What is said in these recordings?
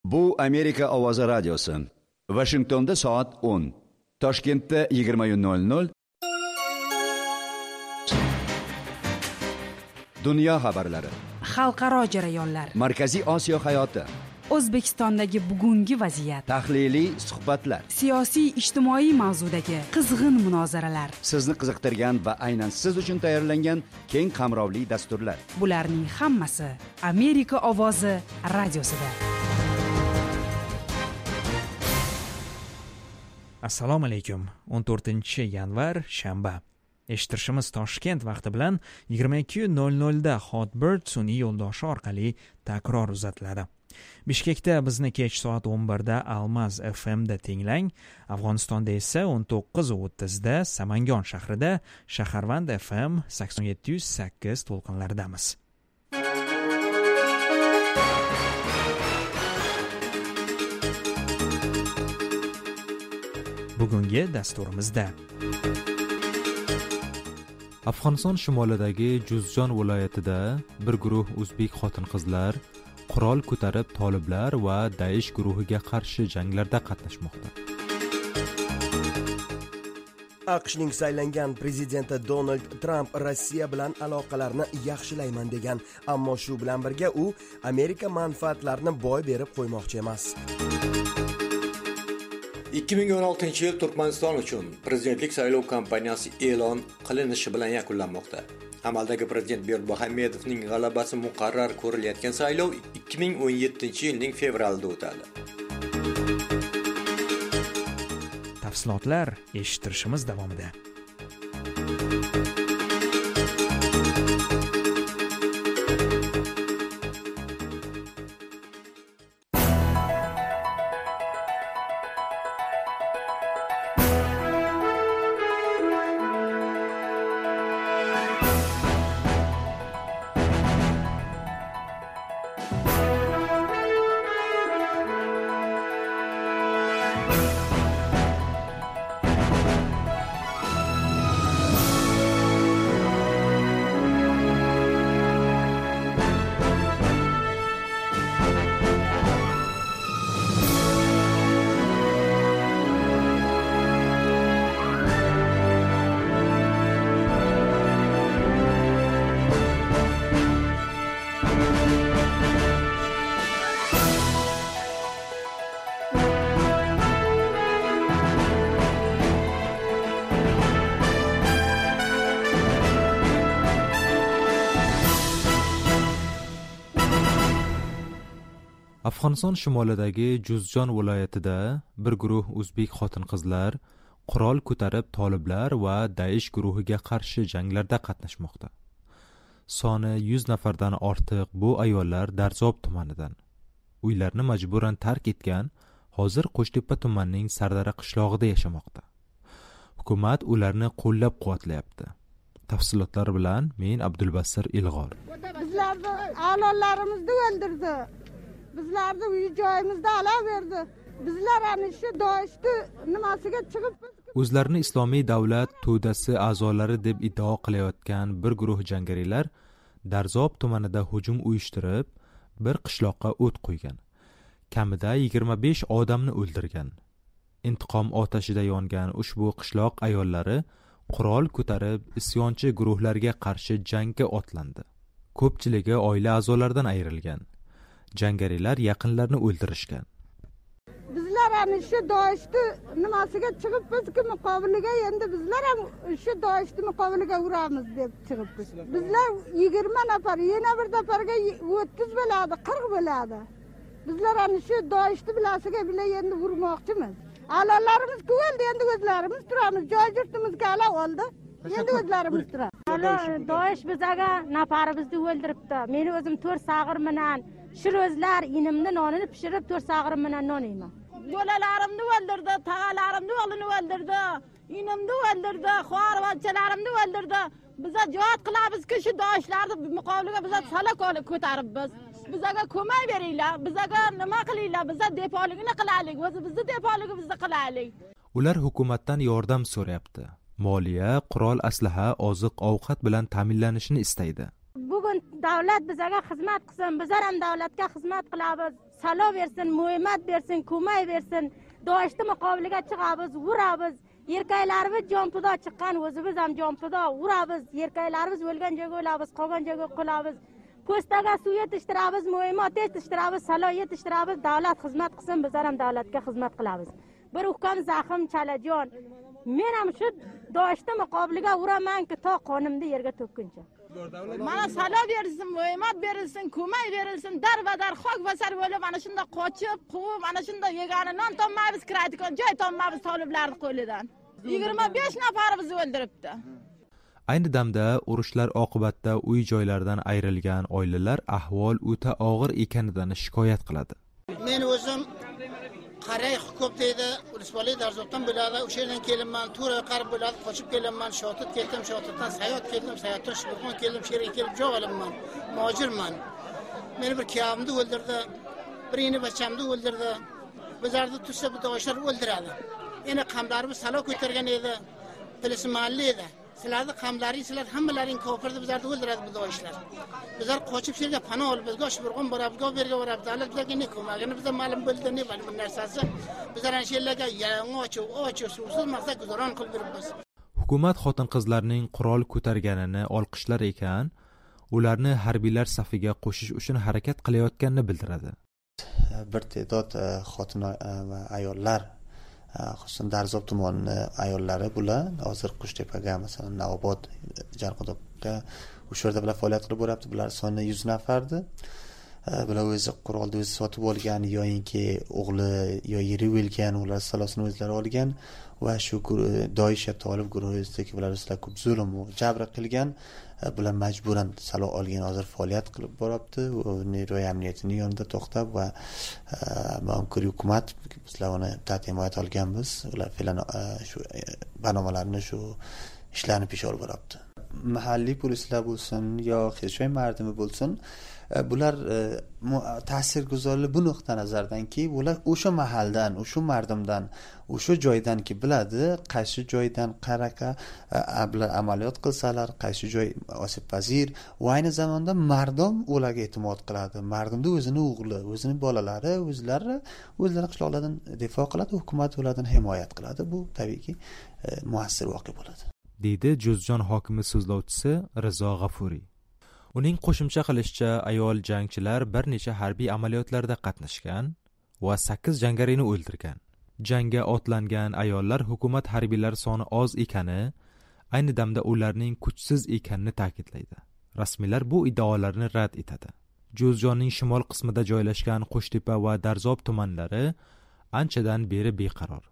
Bu Amerika ovozi radiosi. Vashingtonda soat 10, Toshkentda 20:00. Dunyo xabarlari, xalqaro jarayonlar, Markaziy Osiyo hayoti, O'zbekistondagi bugungi vaziyat, tahliliy suhbatlar, siyosiy ijtimoiy mavzudagi qizg'in munozaralar, sizni qiziqtirgan va aynan siz uchun tayyorlangan keng qamrovli dasturlar. Bularning hammasi Amerika ovozi radiosida. Assalomu alaykum. 14 yanvar, shanba. Eshittirishimiz Toshkent vaqti bilan 22:00 da Hotbird sun'iy yo'ldoshi orqali takror uzatiladi. Bishkekda bizni kech soat 11 da Almaz FMda tinglang. Afg'onistonda esa 19:30 da Samangon shahrida Shaharvand FM 87.8 to'lqinlaridamiz. Bugungi dasturimizda: Afg'oniston shimolidagi Juzjon viloyatida bir guruh o'zbek xotin-qizlar qurol ko'tarib toliblar va Daish guruhiga qarshi janglarda qatnashmoqda. AQShning saylangan prezidenti Donald Tramp Rossiya bilan aloqalarni yaxshilayman degan, ammo shu bilan birga u Amerika manfaatlarini boy berib qo'ymoqchi emas. 2016 yil Turkmaniston uchun prezidentlik saylov kampaniyasi e'lon qilinishi bilan yakunlanmoqda. Amaldagi prezident Berdimuhamedovning g'alabasi muqarrar ko'rilayotgan saylov 2017 yilning fevralida o'tadi. Tafsilotlar eshittirishimiz davomida. Afg'oniston shimolidagi Juzjon viloyatida bir guruh o'zbek xotin-qizlar qurol ko'tarib toliblar va Daish guruhiga qarshi janglarda qatnashmoqda. Soni 100 nafardan ortiq bu ayollar Darzob tumanidan. Uylarni majburan tark etgan, hozir Qo'shtepa tumanining Sardara qishlog'ida yashamoqda. Hukumat ularni qo'llab-quvvatlayapti. Tafsilotlar bilan men Abdulbasir Ilg'or. Bizlarni a'lolarimizni o'ldirdi. Bizlarni uy joyimizda olaverdi. Bizlar ana shu Doishni nimasiga chiqib O'zlarini Islomiy davlat to'dasi a'zolari deb iddao qilayotgan bir guruh jangarilar Darzob tumanida hujum uyushtirib, bir qishloqqa o't qo'ygan. Kamida 25 odamni o'ldirgan. Intiqom otashida yongan ushbu qishloq ayollari qurol ko'tarib isyonchi guruhlarga qarshi jangga otlandi. Ko'pchiligi oila a'zolaridan ayrilgan. Jangarilar yaqinlarini o'ldirishgan. Bizlar ana shu Doishni nimasiga chiqibmizki, muqobiliga endi bizlar ham shu Doishni muqobiliga uramiz deb chiqibmiz. Bizlar 20 nafar, yana bir nafarga 30 bo'ladi, 40 bo'ladi. Bizlar ana shu Doishni bilasiga bila endi urmoqchimiz. A'lolarimiz o'ldi, endi o'zlarimiz turamiz. Joy yurtimizga ala oldi. Endi o'zlarimiz turamiz. Doish bizaga nafarimizni o'ldiribdi. Meni o'zim to'rt sag'ir bilan shirozlar inimni nonini pishirib, to'rt sag'irim bilan non yeyman. Bolalarimni o'ldirdi, tog'alarimni o'g'lini o'ldirdi, inimni o'ldirdi, xorvachalarimni o'ldirdi. Biza jihod qilamizki, shu doishlarni muqobiliga biza sala ko'taribmiz. Bizaga ko'mak beringlar, bizaga nima qilinglar, biza depoligini qilaylik, o'zimizni depoligimizni qilaylik. Ular hukumatdan yordam so'rayapti. Moliya, qurol, aslaha, oziq-ovqat bilan ta'minlanishini istaydi. Bugun davlat bizaga xizmat qilsin, bizlar ham davlatga xizmat qilamiz. Salo bersin, muhimmat bersin, ko'mak bersin. Doishni muqobiliga chiqamiz, uramiz. Erkaklarimiz jonfido chiqqan, o'zimiz ham jonfido uramiz. Erkaklarimiz o'lgan joyga o'lamiz, qolgan joyga qolamiz. Po'staga suv yetishtiramiz, muhimmat yetishtiramiz, salo yetishtiramiz. Davlat xizmat qilsin, bizlar ham davlatga xizmat qilamiz. Bir ukam zaxim chalajon. Men ham shu Doishni muqobiliga uramanki, to qonimni yerga to'kkuncha. Mana salo berilsin, muhimmat berilsin, ko'mak berilsin, darbadar xok basar bo'lib mana shunda qochib, quvib, mana shunda yegani non topmaymiz, kiradigan joy topmaymiz toliblarning qo'lidan. 25 nafarimizni o'ldiribdi. Ayni damda urushlar oqibatida uy joylaridan ayrilgan oilalar ahvol o'ta og'ir ekanidan shikoyat qiladi. Men o'zim Qaray hukumat deydi, Ulusbali Darzobdan bo'ladi, o'sha yerdan kelinman, to'ra qarib bo'ladi, qochib kelinman, Shotit ketdim, Shotitdan Sayot keldim, Sayotdan Shibirxon keldim, shu yerga kelib joy olinman, muhojirman. Meni bir kuyovimni o'ldirdi, bir ini bachamni o'ldirdi. Bizlarni tutsa bu doishlar o'ldiradi. Endi qamlarimiz salo ko'targan edi, bilismanli edi. Sizlarni qamlaring, sizlar hammalaring kofirdi, bizlarni o'ldiradi bu doishlar. Bizlar qochib shu yerga panoh olib, bizga Shibirxon boramiz, bu yerga boramiz. Davlat bizlarga ne ko'magini bizga ma'lum bo'ldi, ne bir narsasi. Bizlar ana shu yerlarga yalang'och, och, suvsiz maqsad guzaron qilib yuribmiz. Hukumat xotin-qizlarning qurol ko'targanini olqishlar ekan, ularni harbiylar safiga qo'shish uchun harakat qilayotganini bildiradi. Bir te'dod xotin va ayollar, xususan Darzob tumanini ayollari bular hozir Qushtepaga, masalan, Navobod, Jarqo'doqqa o'sha yerda bular faoliyat qilib boryapti. Bular soni 100 nafardi. Bular o'zi qurolni o'zi sotib olgan yoyinki o'g'li yo yeri o'lgan, ular salosini o'zlari olgan va shu Doish tolib guruhidagi bular ustidan ko'p zulm va jabr qilgan. Bular majburan salo olgan, hozir faoliyat qilib boryapti. Neroy amniyatining yonida to'xtab va hamkor hukumat bizlar uni himoyat olganmiz. Ular fe'lan shu barnomalarni, shu ishlarni pesh olib boryapti. Mahalliy polislar bo'lsin yo xizmat mardimi bo'lsin, bular ta'sirguzorli bu nuqta nazardanki, ular o'sha mahaldan, o'sha mardimdan, o'sha joydanki biladi, qaysi joydan qanaqa bular amaliyot qilsalar, qaysi joy osibpazir va ayni zamonda mardom ularga e'timod qiladi. Mardimda o'zini o'g'li, o'zini bolalari, o'zlari qishloqlardan difo qiladi, hukumat ulardan himoyat qiladi. Bu tabiiyki muassir voqea bo'ladi, deydi Juzjon hokimi so'zlovchisi Rizo G'afuriy. Uning qo'shimcha qilishicha, ayol jangchilar bir necha harbiy amaliyotlarda qatnashgan va 8 jangarini o'ldirgan. Jangga otlangan ayollar hukumat harbiylari soni oz ekani, ayni damda ularning kuchsiz ekanini ta'kidlaydi. Rasmiylar bu iddaolarni rad etadi. Juzjonning shimol qismida joylashgan Qo'shtepa va Darzob tumanlari anchadan beri beqaror.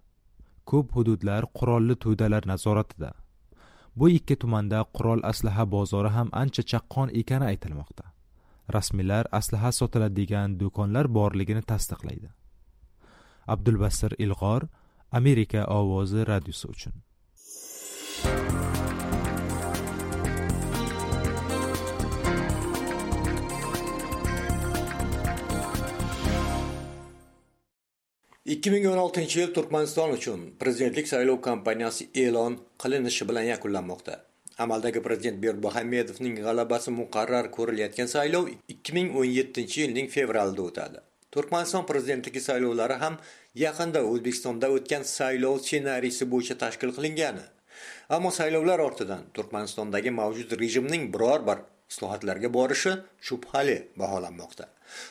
Ko'p hududlar qurolli to'dalar nazoratida. Bu ikki tumanda qurol aslaha bozori ham ancha chaqqon ekani aytilmoqda. Rasmiylar aslaha sotiladigan do'konlar borligini tasdiqlaydi. Abdulbasir Ilg'or, Amerika ovozi radiosi uchun. ...2016 yil Turkmaniston uchun prezidentlik saylov kampaniyasi e'lon qilinishi bilan yakunlanmoqda. Amaldagi prezident Berdimuhamedovning g'alabasi muqarrar ko'rilayotgan saylov 2017-yilning fevralida o'tadi. Turkmaniston prezidentligi saylovlari ham yaqinda O'zbekistonda o'tgan saylov ssenariysi bo'yicha tashkil qilingani. Ammo saylovlar ortidan Turkmanistondagi mavjud rejimning biror bir islohotlarga borishi shubhali baholanmoqda.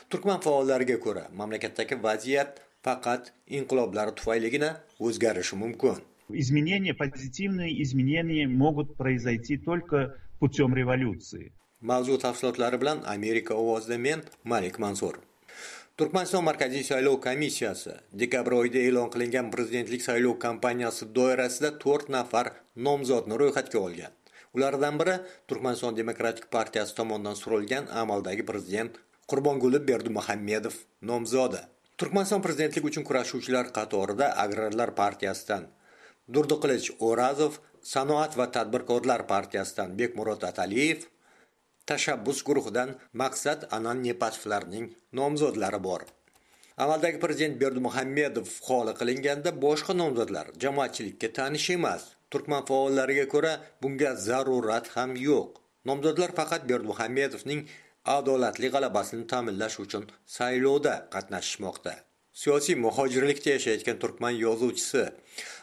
Turkman faollariga ko'ra, mamlakatdagi vaziyat faqat inqiloblar tufayligina o'zgarishi mumkin. Изменения, позитивные изменения могут произойти только путем революции. Mavzu tafsilotlari bilan Amerika ovozida men Malik Mansur. Turkmaniston Markaziy saylov komissiyasi dekabr oyida e'lon qilingan prezidentlik saylov kampaniyasi doirasida 4 nafar nomzodni ro'yxatga olgan. Ulardan biri Turkmaniston Demokratik partiyasi tomonidan surilgan amaldagi prezident Qurbonguli Berdimuhamedov nomzodi. Turkmaniston prezidentlik uchun kurashuvchilar qatorida Agrarlar partiyasidan Durdiqilich O'razov, Sanoat va tadbirkorlar partiyasidan Bekmurod Ataliyev, Tashabbus guruhidan Maqsad Anannepatovlarning nomzodlari bor. Amaldagi prezident Berdimuhamedov xoli qilinganda boshqa nomzodlar jamoatchilikka tanish emas. Turkman faollariga ko'ra bunga zarurat ham yo'q. Nomzodlar faqat Berdimuhamedovning adolatli g'alabasini ta'minlash uchun saylovda qatnashishmoqda. Siyosiy muhojirlikda yashayotgan turkman yozuvchisi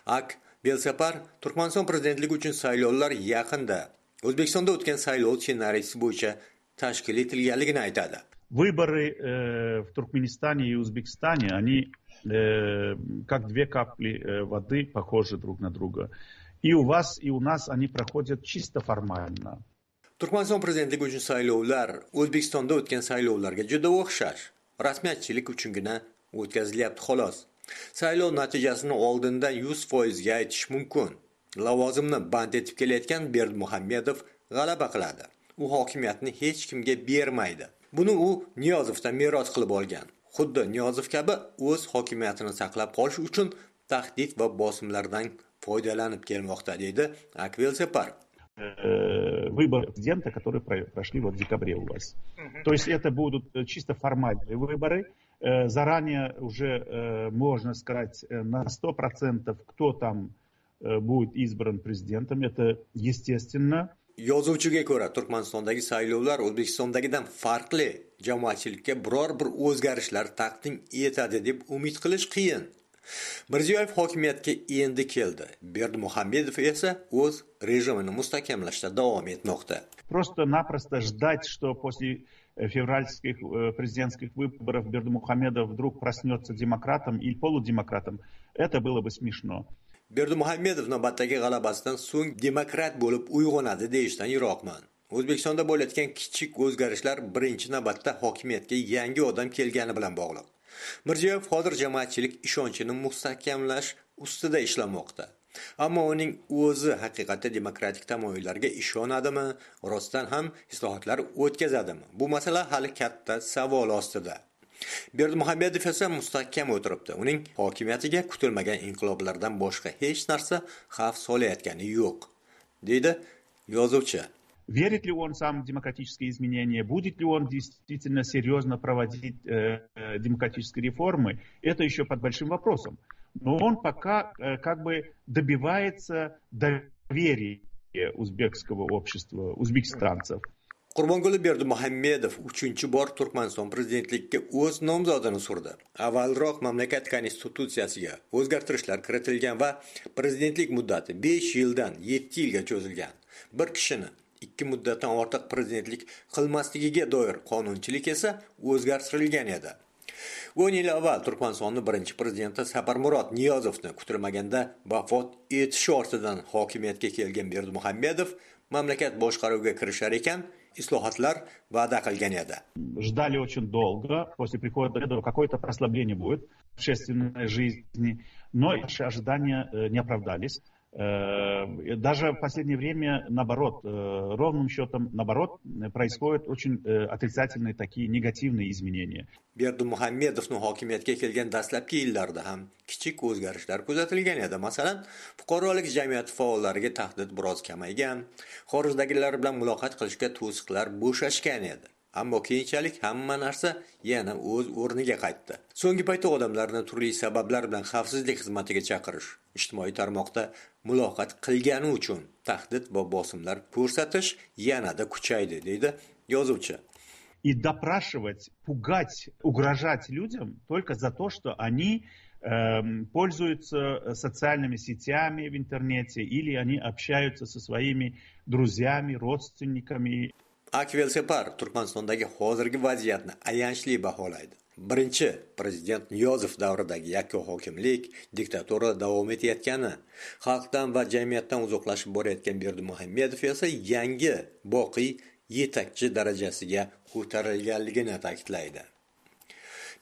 Ak Belsapar Turkmaniston prezidentligi uchun saylovlar yaqinda O'zbekistonda o'tgan saylov ssenariysi bo'yicha tashkil etilganligini aytadi. Выборы в Туркменистане и Узбекистане, они как две капли воды похожи друг на друга. И у вас, и у нас они проходят чисто формально. Turkmaniston prezidentligi uchun saylovlar O'zbekistonda o'tgan saylovlarga juda o'xshash. Rasmiyatchilik uchungina o'tkazilyapti xolos. Saylov natijasini oldindan 100% ga aytish mumkin. Lavozimni band etib kelayotgan Berdimuhamedov g'alaba qiladi. U hokimiyatni hech kimga bermaydi. Buni u Niyozovdan meros qilib olgan. Xuddi Niyozov kabi o'z hokimiyatini saqlab qolish uchun tahdid va bosimlardan foydalanib kelmoqda, deydi Akvelsepar. Выборы президента, которые прошли вот в декабре у вас. То есть это будут чисто формальные выборы. Заранее уже можно сказать на 100%, кто там будет избран президентом. Это естественно. Yozuvchiga ko'ra, Turkmanistondagi saylovlar O'zbekistondagidan farqli, jamoatchilikka biror bir o'zgarishlar taqdim etadi deb umid qilish qiyin. Mirziyoyev hokimiyatga endi keldi. Berdimuhamedov esa o'z rejimini mustahkamlashda davom etmoqda. Просто-напросто ждать, что после февральских президентских выборов Бердымухамедов вдруг проснется демократом или полудемократом, это было бы смешно. Berdimuhamedov navbatdagi g'alabasidan so'ng demokrat bo'lib uyg'onadi deyishdan yiroqman. O'zbekistonda bo'layotgan kichik o'zgarishlar birinchi navbatda hokimiyatga yangi odam kelgani bilan bog'liq. Mirziyoyev hozir jamoatchilik ishonchini mustahkamlash ustida ishlamoqda. Ammo uning o'zi haqiqatda demokratik tamoyillarga ishonadimi, rostdan ham islohotlar o'tkazadimi? Bu masala hali katta savol ostida. Berdimuhamedov esa mustahkam o'tiribdi. Uning hokimiyatiga kutilmagan inqiloblardan boshqa hech narsa xavf solayotgani yo'q, deydi yozuvchi. Верит ли он сам в демократические изменения, будет ли он действительно серьезно проводить демократические реформы, это еще под большим вопросом. Но он пока как бы добивается доверия узбекского общества, узбекистанцев. Qurbonquli Berdimuhamedov 3-bor Turkmaniston prezidentlikka o'z nomzodini surdi. Avvalroq mamlakat konstitutsiyasiga o'zgartirishlar kiritilgan va prezidentlik muddati 5 yildan 7 yilga cho'zilgan. Bir kishini 2 muddatdan ortiq prezidentlik qilmasligiga doir qonunchilik esa o'zgartirilgan edi. 10 yil avval Turkmanistonning birinchi prezidenti Saparmurod Niyozovni kutilmaganda vafot etishi ortidan hokimiyatga kelgan Berdimuhamedov mamlakat boshqaruviga kirishar ekan, islohotlar va'da qilgan edi. Ждали очень долго, после прихода какое-то прослабление будет в общественной жизни, но наши ожидания не оправдались. Даже в последнее время, наоборот, ровным счетом, наоборот, происходят очень отрицательные такие негативные изменения. Berdimuhamedovning hokimiyatga kelgan dastlabki yillarida ham kichik o'zgarishlar kuzatilgan edi. Masalan, fuqarolik jamiyati faollariga tahdid biroz kamaygan, xorijdagilar bilan muloqot qilishga to'siqlar bo'shashgan edi. Ammo keyinchalik hamma narsa yana o'z o'rniga qaytdi. So'nggi paytda odamlarni turli sabablar bilan xavfsizlik xizmatiga chaqirish, ijtimoiy tarmoqda muloqot qilgani uchun tahdid va bosimlar ko'rsatish yanada kuchaydi, deydi yozuvchi. И допрашивать, пугать, угрожать людям только за то, что они пользуются социальными сетями в интернете или они общаются со своими друзьями, родственниками. Akvelsepar Turkmanistondagi hozirgi vaziyatni ayanchli baholaydi. Birinchi prezident Niyozov davridagi yakka hokimlik, diktatura davom etayotgani, xalqdan va jamiyatdan uzoqlashib borayotgan Berdimuhamedov esa yangi boqiy yetakchi darajasiga ko'tarilganligini ta'kidlaydi.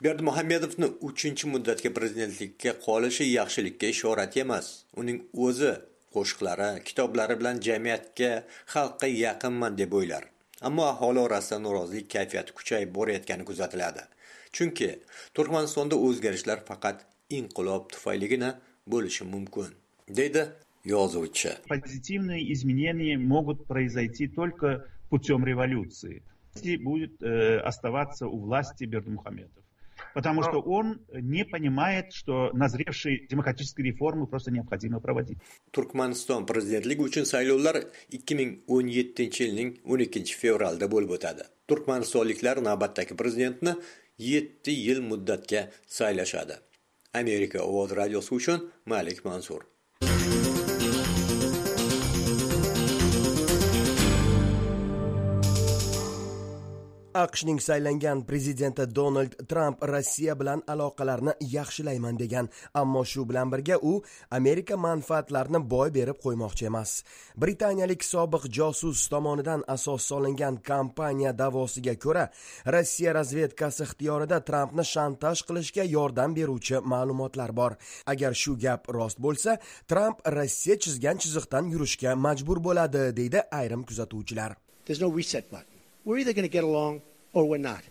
Berdimuhamedovni 3-muddatga prezidentlikka qolishi yaxshilikka ishorat emas. Uning o'zi qo'shiqlari, kitoblari bilan jamiyatga, xalqqa yaqinman deb o'ylar. Ammo aholi orasida norozilik kayfiyati kuchayib borayotgani kuzatiladi. Chunki Turkmanistonda o'zgarishlar faqat inqilob tufayligina bo'lishi mumkin, deydi yozuvchi. Позитивные изменения могут произойти только путем революции, если будет оставаться у власти Бердымухамедов. Потому что он не понимает, что назревшие демократические реформы просто необходимо проводить. Turkmaniston prezidentligi uchun saylovlar 2017-yilning 12 fevralida bo'lib o'tadi. Turkmanistonliklar navbatdagi prezidentni 7 yil muddatga saylashadi. Amerika ovozi radiosi uchun Malik Mansur. AQShning saylangan prezidenti Donald Tramp Rossiya bilan aloqalarni yaxshilayman degan, ammo shu bilan birga u Amerika manfaatlarini boy berib qo'ymoqchi emas. Britaniyalik sobiq josus tomonidan asos solingan kompaniya da'vosiga ko'ra, Rossiya razvedkasi ixtiyorida Trampni shantaj qilishga yordam beruvchi ma'lumotlar bor. Agar shu gap rost bo'lsa, Tramp Rossiya chizgan chiziqdan yurishga majbur bo'ladi, deydi ayrim kuzatuvchilar. There's no reset button. We're either going to get along or we're not.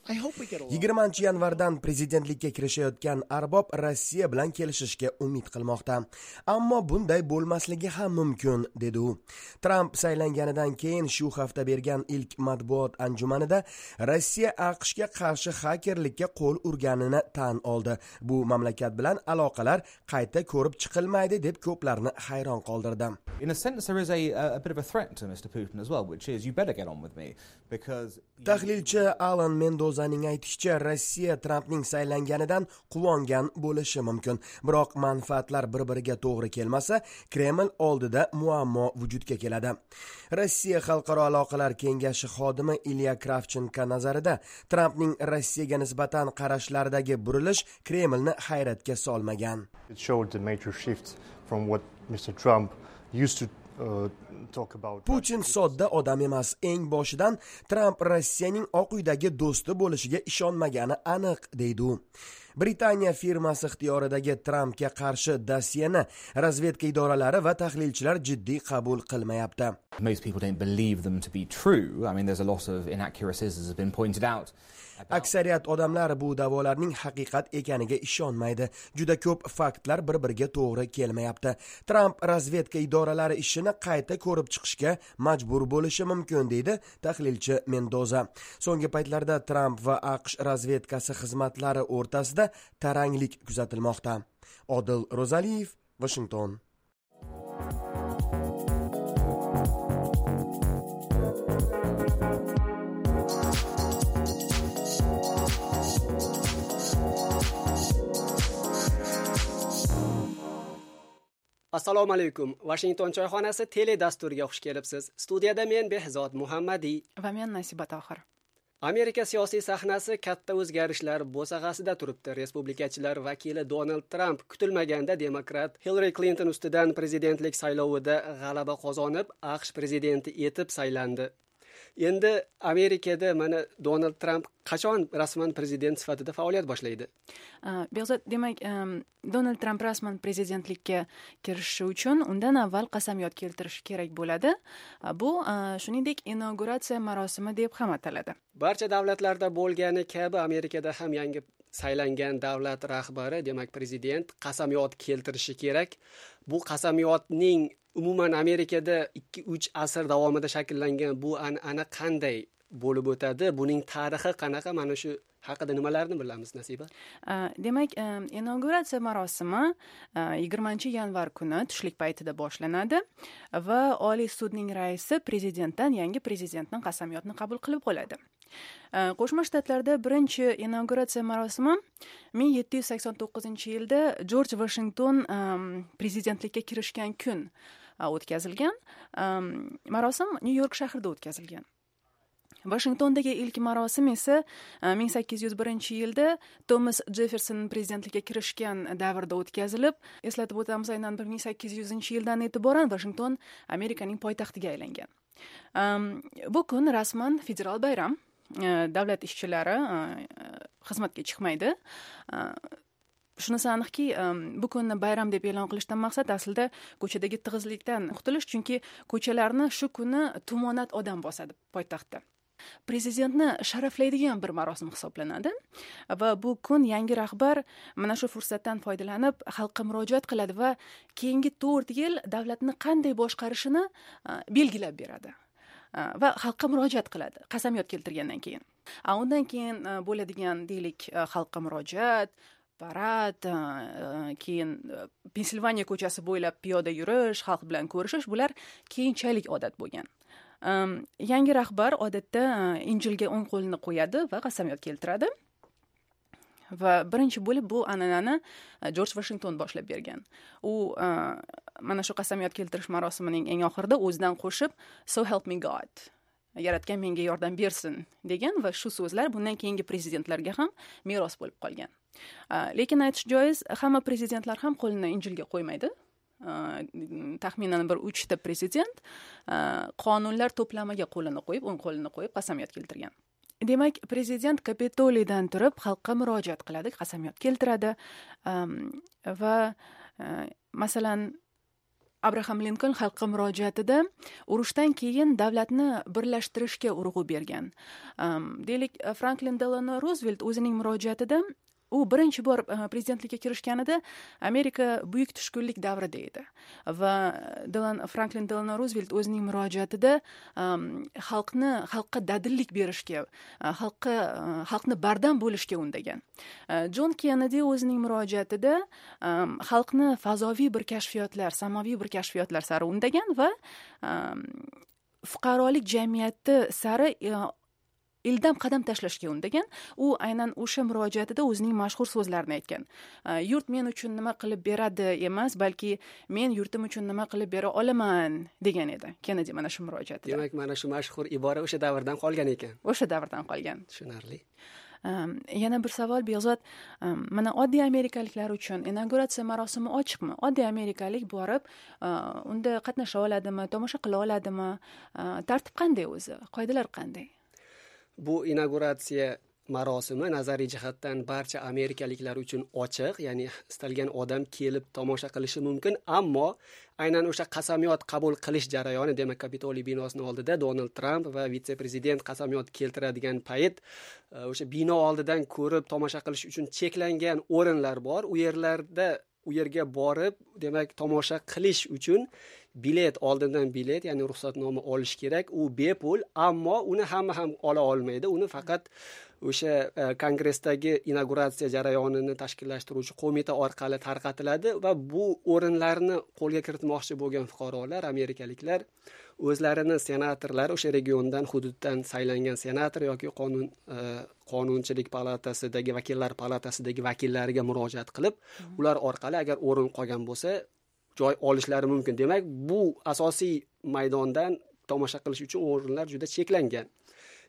I hope we get along. 20 yanvardan prezidentlikka kirishayotgan arbob Rossiya bilan kelishishga umid qilmoqda. Ammo bunday bo'lmasligi ham mumkin, dedi u. Tramp saylanganidan keyin shu hafta bergan ilk matbuot anjumanida Rossiya AQShga qarshi xakerlikka qo'l urganini tan oldi. Bu mamlakat bilan aloqalar qayta ko'rib chiqilmaydi deb ko'plarni hayron qoldirdi. In a sense, there is a bit of a threat to Mr. Putin as well, which is you better get on with me because. Tahlilchi Alan Mendozaning aytishicha, Rossiya Trampning saylanganidan quvongan bo'lishi mumkin. Biroq manfaatlar bir-biriga to'g'ri kelmasa, Kreml oldida muammo vujudga keladi. Rossiya xalqaro aloqalar kengashi xodimi Ilya Kravchenko nazarida Trampning Rossiyaga nisbatan qarashlaridagi burilish Kremlni hayratga solmagan. It showed the major shift from what Mr. Trump used to talk about. Putin sodda odam emas. Eng boshidan Tramp Rossiyaning Oq uydagi do'sti bo'lishiga ishonmagani aniq, deydi u. Britaniya firmasi ixtiyoridagi Trampga qarshi dosyeni razvedka idoralari va tahlilchilar jiddiy qabul qilmayapti. Most people don't believe them to be true. I mean, there's a lot of inaccuracies, as has been pointed out. Aksariyat odamlar bu da'volarning haqiqat ekaniga ishonmaydi. Juda ko'p faktlar bir-biriga to'g'ri kelmayapti. Tramp razvedka idoralari ishini qayta ko'rib chiqishga majbur bo'lishi mumkin, deydi tahlilchi Mendoza. So'nggi paytlarda Tramp va AQSh razvedkasi xizmatlari o'rtasida taranglik kuzatilmoqda. Odil Ro'zaliyev, Vashington. Assalomu alaykum. Washington choyxonasi tele dasturiga xush kelibsiz. Studiyada men, Behzod Muhammadiy, va men, Nasiba Tohir. Amerika siyosiy sahnasi katta o'zgarishlar bo'sag'asida turibdi. Respublikachilar vakili Donald Tramp kutilmaganda demokrat Hillari Klinton ustidan prezidentlik saylovida g'alaba qozonib, AQSh prezidenti etib saylandi. Endi Amerikada mana Donald Tramp qachon rasman prezident sifatida faoliyat boshlaydi? Behzod, demak, Donald Tramp rasman prezidentlikka kirishishi uchun undan avval qasamyod keltirishi kerak bo'ladi. Bu, shuningdek, inauguratsiya marosimi deb ham ataladi. Barcha davlatlarda bo'lgani kabi Amerikada ham yangi saylangan davlat rahbari, demak, prezident qasamyod keltirishi kerak. Bu qasamyodning umuman Amerikada 2-3 asr davomida shakllangan bu an'ana qanday bo'lib o'tadi, buning tarixi qanaqa, mana shu haqida nimalarni bilamiz, Nasiba? Demak, inauguratsiya marosimi 20 yanvar kuni tushlik paytida boshlanadi va Oliy sudning raisi prezidentdan yangi prezidentning qasamyodini qabul qilib oladi. Qo'shma Shtatlarda birinchi inauguratsiya marosimi 1789-yilda Jorj Vashington prezidentlikka kirishgan kun o'tkazilgan. Marosim Nyu York shahrida o'tkazilgan. Vashingtondagi ilk marosim esa 1801-yilda Tomas Jefferson prezidentlikka kirishgan davrda o'tkazilib, eslatib o'tamiz, aynan 1800-yildan e'tiboran Vashington Amerikaning poytaxtiga aylangan. Bu kun rasman federal bayram. Davlat ishchilari xizmatga chiqmaydi. Shunisi aniqki, bu kunni bayram deb e'lon qilishdan maqsad aslida ko'chadagi tig'izlikdan qutulish, chunki ko'chalarni shu kuni tumonat odam bosadi poytaxtda. Prezidentni sharaflaydigan bir marosim hisoblanadi va bu kun yangi rahbar mana shu fursatdan foydalanib xalqqa murojaat qiladi va keyingi 4 yil davlatni qanday boshqarishini belgilab beradi va xalqqa murojaat qiladi qasamyod keltirgandan keyin. Undan keyin bo'ladigan, deylik, xalqqa murojaat, parad, keyin Pensilvaniya ko'chasi bo'ylab piyoda yurish, xalq bilan ko'rishish, bular keyinchalik odat bo'lgan. Yangi rahbar odatda Injilga o'ng qo'lini qo'yadi va qasamyod keltiradi. Va birinchi bo'lib bu an'anani Jorj Vashington boshlab bergan. U mana shu qasamyod keltirish marosimining eng oxirida o'zidan qo'shib "So help me God", yaratgan menga yordam bersin degan va shu so'zlar bundan keyingi prezidentlarga ham meros bo'lib qolgan. Lekin aytish joiz, hamma prezidentlar ham qo'lini Injilga qo'ymaydi. Taxminan bir 3 ta prezident qonunlar to'plamiga qo'lini qo'yib, o'ng qo'lini qo'yib qasamyod keltirgan. Demak, prezident Kapitoliydan turib xalqqa murojaat qiladi, qasamyod keltiradi va masalan Abraham Linkoln xalqqa murojaatida urushdan keyin davlatni birlashtirishga urg'u bergan. Deylik, Franklin Delano Ruzvelt o'zining murojaatida, u birinchi bor prezidentlikka kirishganida Amerika buyuk tushkunlik davrida edi va Franklin Delano Ruzvelt o'zining murojaatida xalqqa dadillik berishga, xalqni bardam bo'lishga undagan. Jon Kennedi o'zining murojaatida xalqni fazoviy bir kashfiyotlar, samoviy bir kashfiyotlar sari undagan va fuqarolik jamiyati sari ildam qadam tashlashga undagan. U aynan o'sha murojaatida o'zining mashhur so'zlarini aytgan. Yurt men uchun nima qilib beradi emas, balki men yurtim uchun nima qilib bera olaman degan edi Kennedi mana shu murojaatida. Demak, mana shu mashhur ibora o'sha davrdan qolgan ekan. O'sha davrdan qolgan. Tushunarli. Yana bir savol, Behzod, mana oddiy amerikaliklar uchun inauguratsiya marosimi ochiqmi? Oddiy amerikalik borib unda qatnasha oladimi, tomosha qila oladimi? Tartib qanday o'zi? Qoidalar qanday? Bu inauguratsiya marosimi nazariy jihatdan barcha amerikaliklar uchun ochiq, ya'ni istalgan odam kelib tomosha qilishi mumkin, ammo aynan o'sha qasamyod qabul qilish jarayoni, demak, Kapitoliy binosining oldida Donald Tramp va vitse-prezident qasamyod keltiradigan payt o'sha bino oldidan ko'rib tomosha qilish uchun cheklangan o'rinlar bor. U yerlarda, u yerga borib, demak, tomosha qilish uchun bilet, oldindan bilet, ya'ni ruxsatnoma olish kerak. U bepul, ammo uni hamma ham ola olmaydi. Uni faqat o'sha kongressdagi inauguratsiya jarayonini tashkillashtiruvchi qo'mita orqali tarqatiladi va bu o'rinlarni qo'lga kiritmoqchi bo'lgan fuqarolar, amerikaliklar o'zlarini senatorlari, o'sha regiondan, hududdan saylangan senator yoki qonunchilik palatasidagi, vakillar palatasidagi vakillariga murojaat qilib, ular orqali agar o'rin qolgan bo'lsa, joy olishlari mumkin. Demak, bu asosiy maydondan tomosha qilish uchun o'rinlar juda cheklangan.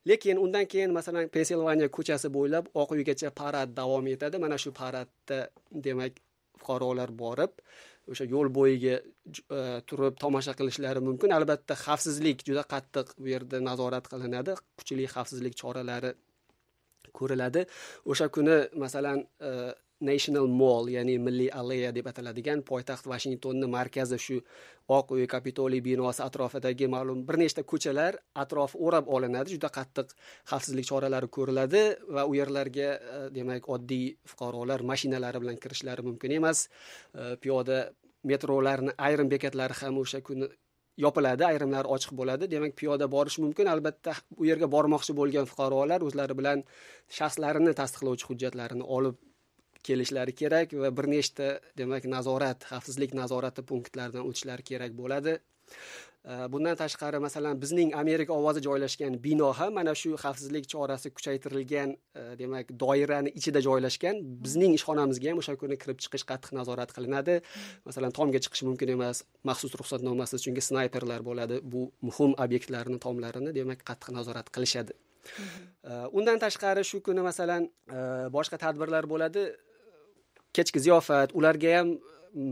Lekin undan keyin, masalan, Pensilvaniya ko'chasi bo'ylab Oq uygacha parad davom etadi. Mana shu paradda, demak, fuqarolar borib, o'sha yo'l bo'yiga turib tomosha qilishlari mumkin. Albatta, xavfsizlik juda qattiq bu yerda nazorat qilinadi, kuchli xavfsizlik choralari ko'riladi. O'sha kuni, masalan, National Mall, ya'ni Milliy alleya deb ataladigan poytaxt Vashingtonni markazi, shu Oq uy, Kapitoliy binosi atrofidagi ma'lum bir nechta ko'chalar atrofi o'rab olinadi, juda qattiq xavfsizlik choralari ko'riladi va u yerlarga, demak, oddiy fuqarolar mashinalari bilan kirishlari mumkin emas. Piyoda metrolarni ayrim bekatlari ham o'sha kuni yopiladi, ayrimlari ochiq bo'ladi. Demak, piyoda borish mumkin. Albatta, u yerga bormoqchi bo'lgan fuqarolar o'zlari bilan shaxslarini tasdiqlovchi hujjatlarini olib kelishlari kerak va bir nechta, demak, nazorat, xavfsizlik nazorati punktlaridan o'tishlari kerak bo'ladi. Bundan tashqari, masalan, bizning Amerika ovozi joylashgan bino ham mana shu xavfsizlik chorasi kuchaytirilgan, demak, doirani ichida joylashgan. Bizning ishxonamizga ham o'sha kuni kirib chiqish qattiq nazorat qilinadi. Masalan, tomga chiqish mumkin emas, maxsus ruxsatnomasiz, chunki snayperlar bo'ladi. Bu muhim obyektlarni tomlarini, demak, qattiq nazorat qilishadi. Undan tashqari shu kuni, masalan, boshqa tadbirlar bo'ladi. Kechki ziyofat, ularga ham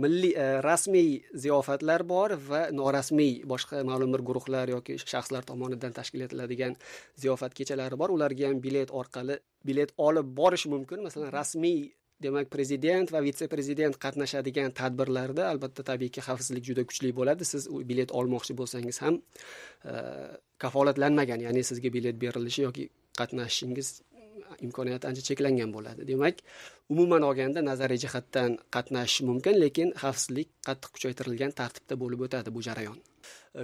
milliy rasmiy ziyofatlar bor va norasmiy boshqa ma'lum bir guruhlar yoki shaxslar tomonidan tashkil etiladigan ziyofat kechalari bor. Ularga ham bilet orqali bilet olib borish mumkin. Masalan, rasmiy, demak, prezident va vitse-prezident qatnashadigan tadbirlarda albatta, tabiiyki, xavfsizlik juda kuchli bo'ladi. Siz u bilet olmoqchi bo'lsangiz ham kafolatlanmagan, ya'ni sizga bilet berilishi yoki qatnashishingiz imkoniyati ancha cheklangan bo'ladi. Demak, umuman olganda nazariy jihatdan qatnashish mumkin, lekin xavfsizlik qattiq kuchaytirilgan tartibda bo'lib o'tadi bu jarayon.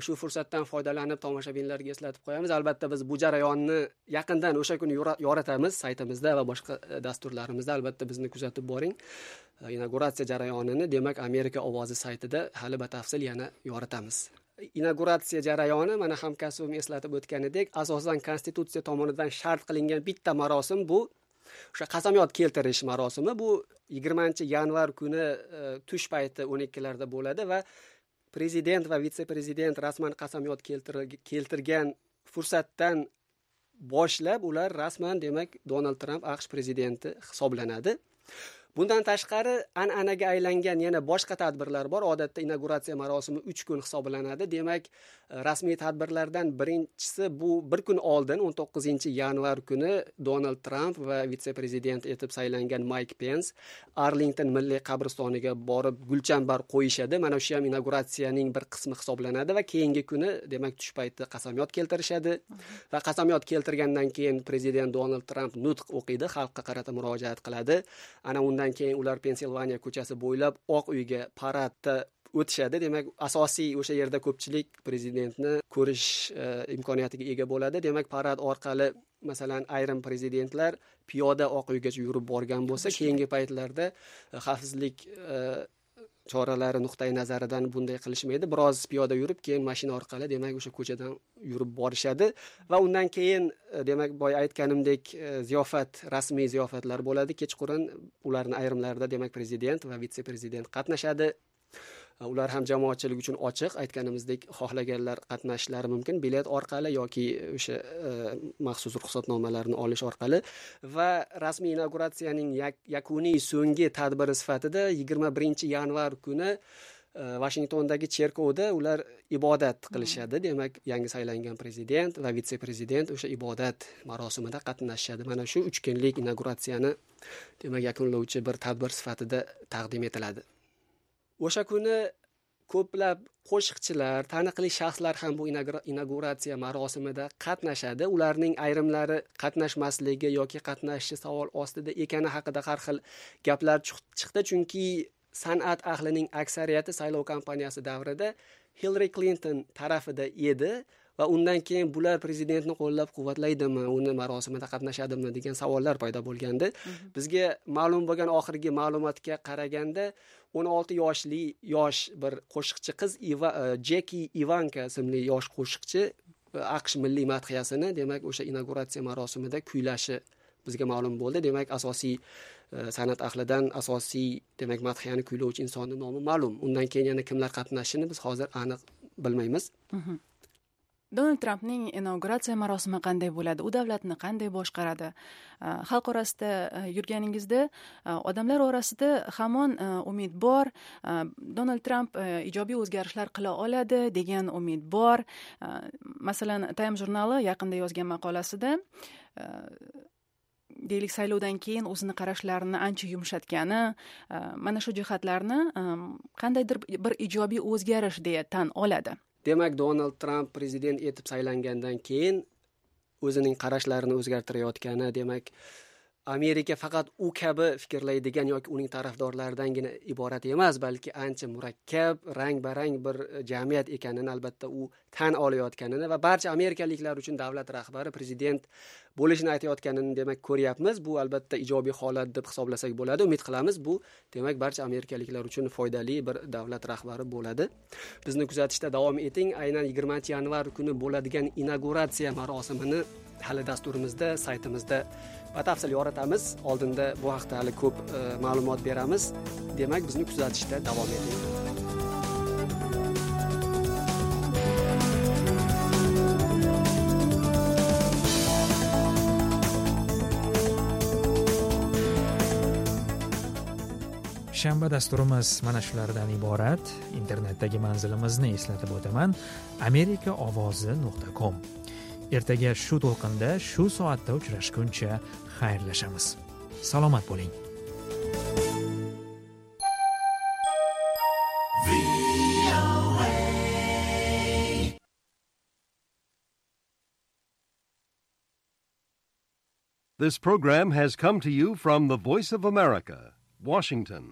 Shu fursatdan foydalanib tomoshabinlarga eslatib qo'yamiz. Albatta biz bu jarayonni yaqindan o'sha kuni yoritamiz saytimizda va boshqa dasturlarimizda. Albatta bizni kuzatib boring. Inauguratsiya jarayonini demak Amerika ovozi saytida hali batafsil yana yoritamiz. Inauguratsiya jarayoni mana hamkasbim eslatib o'tganidek, asosan konstitutsiya tomonidan shart qilingan bitta marosim bu o'sha qasamyod keltirish marosimi. Bu 20-yanvar kuni tush payti 12larda bo'ladi va prezident va vitse-prezident rasman qasamyod keltirgan fursatdan boshlab ular rasman demak Donald Tramp AQSh prezidenti hisoblanadi. Bundan tashqari an'anaga aylangan yana boshqa tadbirlar bor. Odatda inauguratsiya marosimi 3 kun hisoblanadi. Demak, rasmiy tadbirlardan birinchisi bu bir kun oldin 19-yanvar kuni Donald Tramp va vitse-prezident etib saylangan Mayk Pens Arlington milliy qabristoniga borib gulchambar qo'yishadi. Mana shu ham inauguratsiyaning bir qismi hisoblanadi va keyingi kuni demak tush payti qasamyod keltirishadi va qasamyod keltirgandan keyin prezident Donald Tramp nutq o'qiydi, xalqqa qarata murojaat qiladi. Ana undan keyin ular Pensilvaniya ko'chasi bo'ylab Oq uyga paradda o'tishadi. Demak, asosiy o'sha yerda ko'pchilik prezidentni ko'rish imkoniyatiga ega bo'ladi. Demak, parad orqali masalan ayrim prezidentlar piyoda Oq uygacha yurib borgan bo'lsa, keyingi paytlarda xavfsizlik choralari nuqtai nazaridan bunday qilishmaydi. Biroz piyoda yurib, keyin mashina orqali demak o'sha ko'chadan yurib borishadi va undan keyin demak boya aytganimdek ziyofat, rasmiy ziyofatlar bo'ladi. Kechqurun ularning ayrimlarida demak prezident va vitse-prezident qatnashadi. Ular ham jamoatchilik uchun ochiq, aytganimizdek xohlaganlar qatnashishlari mumkin bilet orqali yoki o'sha maxsus ruxsatnomalarni olish orqali. Va rasmiy inauguratsiyaning yakuniy so'nggi tadbiri sifatida 21-yanvar kuni Washingtondagi cherkovda ular ibodat qilishadi. Demak, yangi saylangan prezident va vitse-prezident o'sha ibodat marosimida qatnashishadi. Mana shu 3 kunlik inauguratsiyani demak yakunlovchi bir tadbir sifatida taqdim etiladi. O'sha kuni ko'plab qo'shiqchilar, taniqli shaxslar ham bu inauguratsiya marosimida qatnashadi. Ularning ayrimlari qatnashmasligi yoki qatnashishi savol ostida ekani haqida har xil gaplar chiqdi, chunki san'at ahlining aksariyati saylov kampaniyasi davrida Hillary Clinton tarafida edi va undan keyin bular prezidentni qo'llab-quvvatlaydimi, uni marosimida qatnashadimi degan savollar paydo bo'lgandi. Bizga ma'lum bo'lgan oxirgi ma'lumotga qaraganda 16 yoshli yosh bir qo'shiqchi qiz Jeki Ivanka ismli yosh qo'shiqchi AQSh milliy madhiyasini demak o'sha inauguratsiya marosimida kuylashi bizga ma'lum bo'ldi. Demak, asosiy san'at ahlidan asosiy demak madhiyani kuylovchi insonning nomi ma'lum. Undan keyin yana kimlar qatnashishini biz hozir aniq bilmaymiz. Donald Trampning inauguratsiya marosimi qanday bo'ladi? U davlatni qanday boshqaradi? Xalq orasida yurganingizda odamlar orasida hamon umid bor. Donald Tramp ijobiy o'zgarishlar qila oladi degan umid bor. Masalan, Time jurnali yaqinda yozgan maqolasida deylik saylovdan keyin o'zini qarashlarini ancha yumshatgani, mana shu jihatlarni qandaydir bir ijobiy o'zgarish deya tan oladi. Demak, Donald Tramp prezident etib saylangandan keyin o'zining qarashlarini o'zgartirayotgani, demak, Amerika faqat u kabi fikrlaydigan yoki uning tarafdorlaridangina iborat emas, balki ancha murakkab, rang-barang bir jamiyat ekanini albatta u tan olayotganini va barcha amerikaliklar uchun davlat rahbari prezident bo'lishini aytayotganini demak ko'ryapmiz. Bu albatta ijobiy holat deb hisoblasak bo'ladi. Umid qilamiz bu demak barcha amerikaliklar uchun foydali bir davlat rahbari bo'ladi. Bizni kuzatishda davom eting. Aynan 20-yanvar kuni bo'ladigan inauguratsiya marosimini hali dasturimizda, saytimizda batafsil yoritamiz. Oldinda bu haqda hali ko'p ma'lumot beramiz. Demak, bizni kuzatishda davom eting. Shanba dasturimiz mana shulardan iborat. Internetdagi manzilimizni eslatib o'taman: amerikaovozi.com. Ertaga shu to'lqinda, shu soatda uchrashguncha xayrlashamiz. Salomat bo'ling. This program has come to you from the Voice of America, Washington.